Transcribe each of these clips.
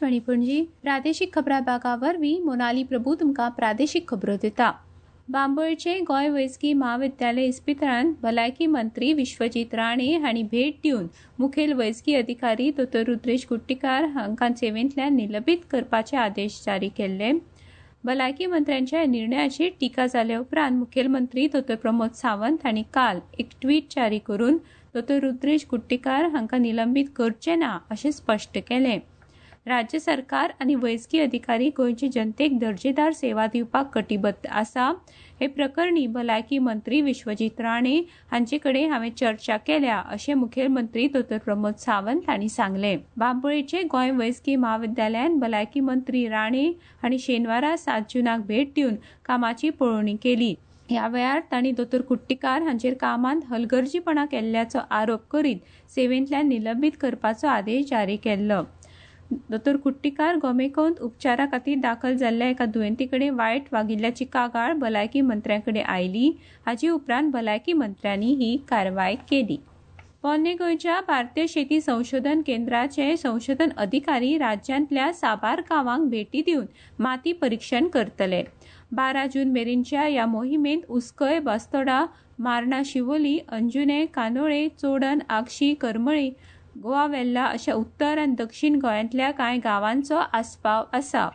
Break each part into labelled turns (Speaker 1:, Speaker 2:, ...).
Speaker 1: आकाशवाणी पणजी प्रादेशीक खबरां भागा वरवीं मोनाली प्रभू तुमकां प्रादेशीक खबरो दिता. बांबोळचे गोंय वैजकी म्हाविद्यालय इस्पितळांत भलायकी मंत्री विश्वजीत राणे हांणी भेट दिवन मुखेल वैजकी अधिकारी दोतोर रुद्रेश कुट्टीकार हांकां सेवेंतल्यान निलंबीत करपाचे आदेश जारी केल्ले. भलायकी मंत्र्यांच्या निर्णयाचेर टिका जाले उपरांत मुखेलमंत्री दोतोर प्रमोद सावंत हांणी काल एक ट्वीट जारी करून दोतोर रुद्रेश कुट्टीकार हांकां निलंबीत करचे ना अशें स्पश्ट केलें. राज्य सरकार आनी वैजकी अधिकारी गोंयचे जनतेक दर्जेदार सेवा दिवपाक कटिबद्ध आसा. हे प्रकरणी भलायकी मंत्री विश्वजीत राणे हांचे कडेन हांवें चर्चा केल्या अशें मुखेलमंत्री दोतोर प्रमोद सावंत हांणी सांगलें. बांबोळेचे गोंय वैजकी म्हाविद्यालयांत भलायकी मंत्री राणे हांणी शेनवारा 7 जूनाक भेट दिवन कामाची पळोवणी केली. ह्या वेळार तांणी दोतोर कुट्टीकार हांचेर कामांत हलगर्जीपणा केल्ल्याचो आरोप करीत सेवेंतल्यान निलंबीत करपाचो आदेश जारी केल्लो. दोतोर कुट्टीकार गोमेकॉंत उपचारा खातीर दाखल जाल्ल्या एका दुयेंती कडेन वायट वागिल्ल्याची कागाळ भलायकी मंत्र्यां कडेन आयली. हाचे उपरांत भलायकी मंत्र्यांनी ही कारवाय केली. पोरणे गोंयच्या भारतीय शेती संशोधन केंद्राचे संशोधन अधिकारी राज्यांतल्या साबार गांवांक भेटी दिवन माती परिक्षण करतले. 12 जून मेरेनच्या ह्या मोहिमेंत उसकय, बास्तोडा, मार्ना, शिवोली, अंजुने, कांदोळे, चोडण, आगशी, करमळी, गोवा वेल्ला अशा उत्तर आनी दक्षिण गोंयांतल्या कांय गांवांचो आस्पाव आसा.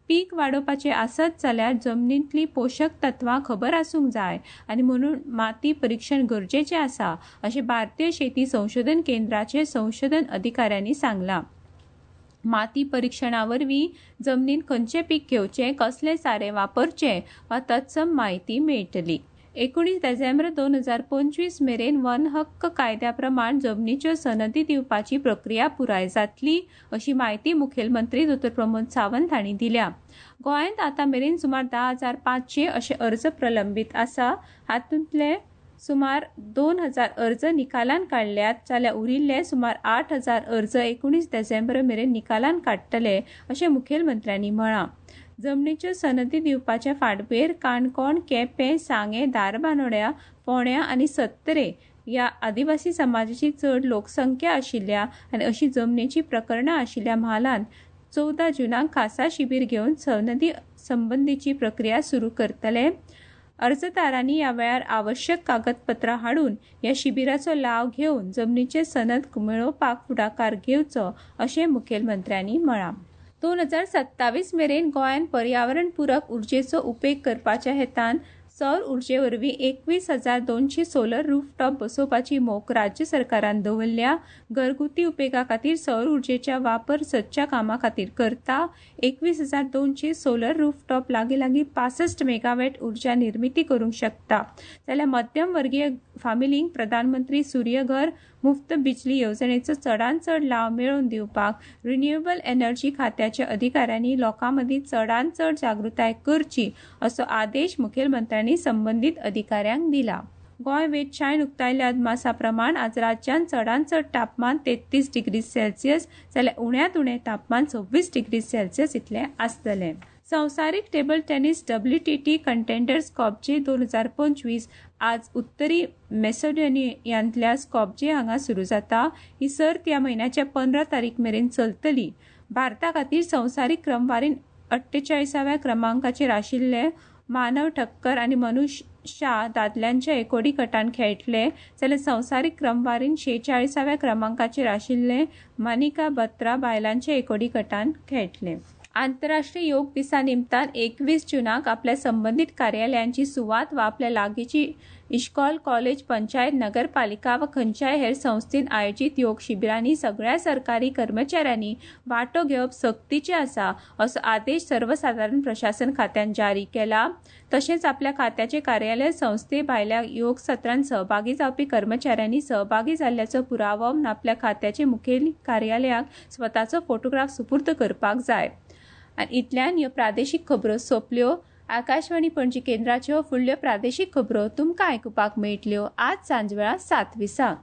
Speaker 1: पीक वाडोवपाचें आसत जाल्यार जमनींतली पोशक तत्वां खबर आसूंक जाय आनी म्हणून माती परिक्षण गरजेचें आसा अशें भारतीय शेती संशोधन केंद्राचे संशोधन अधिकाऱ्यांनी सांगलां. माती परिक्षणा वरवीं जमनींत खंयचें पीक घेवचें, कसलें सारें वापरचें वा तत्सम म्हायती मेळटली. 19 डिसेंबर 2025 मेरेन वन हक्क कायद्या प्रमाण जमनीच्यो सनदी दिवपाची प्रक्रिया पुराय जातली अशी म्हायती मुखेलमंत्री दोतोर प्रमोद सावंत हांणी दिल्या. गोंयांत आतां मेरेन सुमार 10,500 अशे अर्ज प्रलंबीत आसा. हातूंतले सुमार 2,000 अर्ज निकालान काडल्यात जाल्यार उरिल्ले सुमार 8,000 अर्ज 19 डिसेंबर मेरेन निकालान काडटले अशें मुखेलमंत्र्यांनी म्हळां. जमनीच्यो सनदी दिवपाचे फाटभुंयेर काणकोण, केपें, सांगें, धारबांदोड्या, फोंड्या आनी सत्तरे ह्या आदिवासी समाजाची चड लोकसंख्या आशिल्ल्या आनी अशी जमनीची प्रकरणां आशिल्ल्या म्हालांत 14 जूनाक खासा शिबीर घेवन सनदी संबंदीची प्रक्रिया सुरू करतले. अर्जदारांनी ह्या वेळार आवश्यक कागदपत्रां हाडून ह्या शिबिराचो लाव घेवन जमनीचे सनद मेळोवपाक फुडाकार घेवचो अशें मुखेलमंत्र्यांनी म्हळां. 2027 मेरेन गोंयांत पर्यावरणपूरक उर्जेचो उपेग करपाच्या हेतान सौर उर्जे वरवीं 21,200 सोलर रूफटॉप बसोवपाची मोख राज्य सरकारान दवरल्या. घरगुती उपेगा खातीर सौर उर्जेच्या वापर सदच्या कामा खातीर करता. 21,200 सोलर रूफटॉप लागीं लागीं 65 मेगावॅट उर्जा निर्मिती करूंक शकता. जाल्यार मध्यम वर्गीय फामिलींक प्रधानमंत्री सूर्यघर मुफ्त बिजली येवजणेचो चडांत चड लाव मेळोवन दिवपाक रिन्युएबल एनर्जी खात्याच्या अधिकाऱ्यांनी लोकां मदीं चडांत चड जागृताय करची असो आदेश मुखेलमंत्र्यांनी संबंदीत अधिकाऱ्यांक दिला. गोंय वेधशाळेन उक्तायल्ल्या अदमासा प्रमाण आज राज्यांत चडांत चड तापमान 33 डिग्री सेल्सियस जाल्यार उण्यांत उणें तापमान 26 डिग्री सेल्सियस इतलें आसतलें. संवसारीक table tennis WTT contender Skopje 2025 आज उत्तरी मेसोडोनियांतल्या स्कॉपजे हांगा सुरू जाता. ही सर्त ह्या म्हयन्याच्या 15 तारीख मेरेन चलतली. भारता खातीर संवसारीक क्रमवारीन 48व्या क्रमांकाचेर आशिल्ले मानव ठक्कर आनी मनुष शाह दादल्यांच्या एकोडी गटान खेळटले जाल्यार संवसारीक क्रमवारीन 46व्या क्रमांकाचेर आशिल्ले मानिका बत्रा बायलांच्या एकोडी गटान खेळटले. आंतरराष्ट्रीय योग दिसा निमतान 21 जूनाक आपल्या संबंदीत कार्यालयांची सुवात वा आपल्या लागींची इश्कॉल, कॉलेज, पंचायत, नगरपालिका वा खंयच्याय हेर संस्थेन आयोजीत योग शिबिरांनी सगळ्या सरकारी कर्मचाऱ्यांनी वांटो घेवप सक्तीचें आसा असो आदेश सर्वसादारण प्रशासन खात्यान जारी केला. तशेंच आपल्या खात्याचे कार्यालय संस्थे भायल्या योग सत्रांत सहभागी जावपी कर्मचाऱ्यांनी सहभागी जाल्ल्याचो पुरावो म्हूण आपल्या खात्याचे मुखेल कार्यालयाक स्वताचो फोटोग्राफ सुपूर्द करपाक जाय. आनी इतल्यान ह्यो प्रादेशीक खबरो सोंपल्यो. आकाशवाणी पणजी केंद्राच्यो फुडल्यो प्रादेशीक खबरो तुमकां आयकुपाक मेळटल्यो आज सांजवेळा 7:20.